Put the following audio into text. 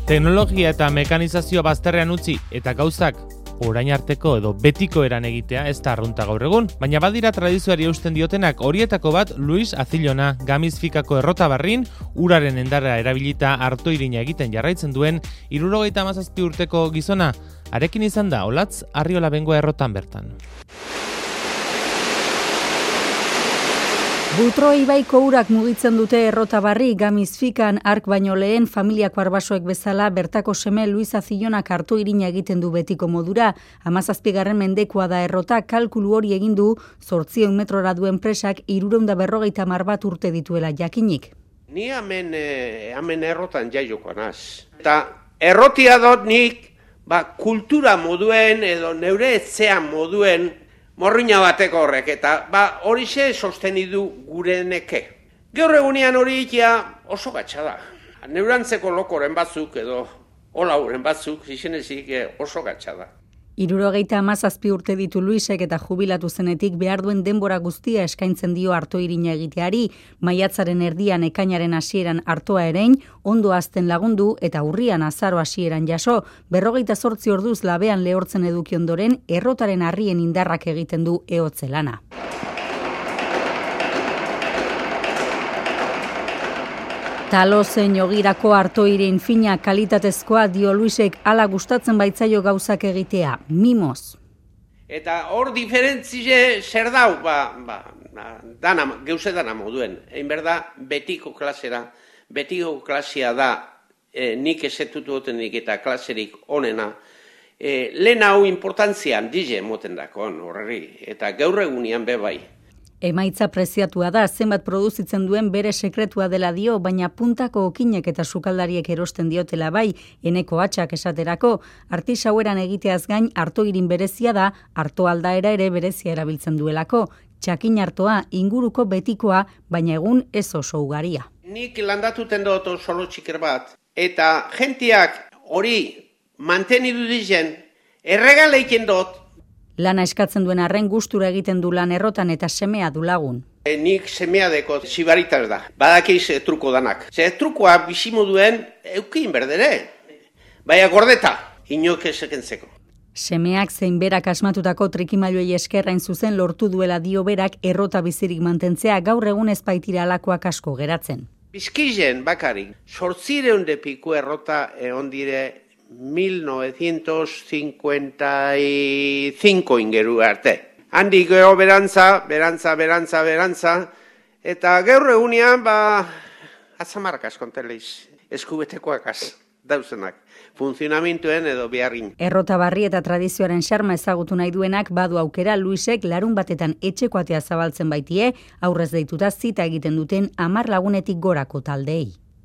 Teknologia eta mekanizazio bazterrean utzi eta gauzak orain arteko edo betiko eran egitea ez da arrunta gaur egun, baina badira tradizioari eusten diotenak. Horietako bat Luis Azilona, Gamizfikako Errotabarrin, uraren endarra erabilita artoirina egiten jarraitzen duen 77 urteko gizona. Arekin izan da Olatz Arriola Bengoa Errotan bertan. Butro ibaiko urak mugitzen dute Errotabarri, Gamizfikan ark baino lehen familiako arbasoek bezala bertako seme Luis Azilonak artoirina egiten du betiko modura. 17. mendekoa da Errota, kalkulu hori egin du 800 metrora duen presak 350 bat urte dituela jakinik. Ni hemen Errotan jaiokoa naz. Eta errotia dut nik kultura moduen edo neure etzean moduen morriña bateko horrek, eta horixe sosteni du gure neke. Gaur egunean hori ikia oso gatsa da. Neurantzeko lokoren batzuk edo olauren batzuk, izenezik oso gatsa da. 77 urte ditu Luisek eta jubilatu zenetik behar duen denbora guztia eskaintzen dio artoirina egiteari, maiatzaren erdian ekainaren hasieran artoa erein, ondo hazten lagundu eta urrian azaro hasieran jaso, 48 orduz labean lehortzen eduki ondoren, Errotaren harrien indarrak egiten du ehotze lana. Talozen jogirako artoirin fina kalitatezkoa dio Luisek, hala gustatzen baitzaio gauzak egitea, mimoz. Eta hor diferentzie zer dau, geuze dana moduen. Egin berda, betiko klasea da, nik esetutu gotenik eta klaserik onena. Lehen hau importantzian dize moten dakon horreri, eta gaur egunean bebai. Emaitza preziatua da, zenbat produzitzen duen bere sekretua dela dio, baina puntako okinek eta sukaldariek erosten diotela bai, eneko hatxak esaterako, artisaueran egiteaz gain artoirin berezia da, arto aldaera ere berezia erabiltzen duelako, txakin artoa, inguruko betikoa, baina egun ez oso ugaria. Nik landatuten dut solo txiker bat, eta jentiak hori mantenidu dizen, erregaleiken dut. Lana eskatzen duen arren gustura egiten du lan Errotan eta semea du lagun. Nik semea deko zibaritas da, badakiz truko danak. Trukoa bizimoduen eukin berdere, baina gordeta, inok esekentzeko. Semeak zein berak asmatutako trikimailuei eskerrain zuzen lortu duela dio berak Errota bizirik mantentzea, gaur egun ez baitira alakoak asko geratzen. Bizkizen bakarik, 800 piku Errota egon dire 1955 ingeru arte. Handik gero berantza, eta gaur egunean, atzamarkaz konteleiz, eskubetekoakaz, dauzenak, funtzionamintuen edo beharrin. Errotabarri eta tradizioaren xarma ezagutu nahi duenak badu aukera Luisek larun batetan etxeko atea zabaltzen baitie, aurrez deituta zita egiten duten 10 lagunetik gorako taldeei.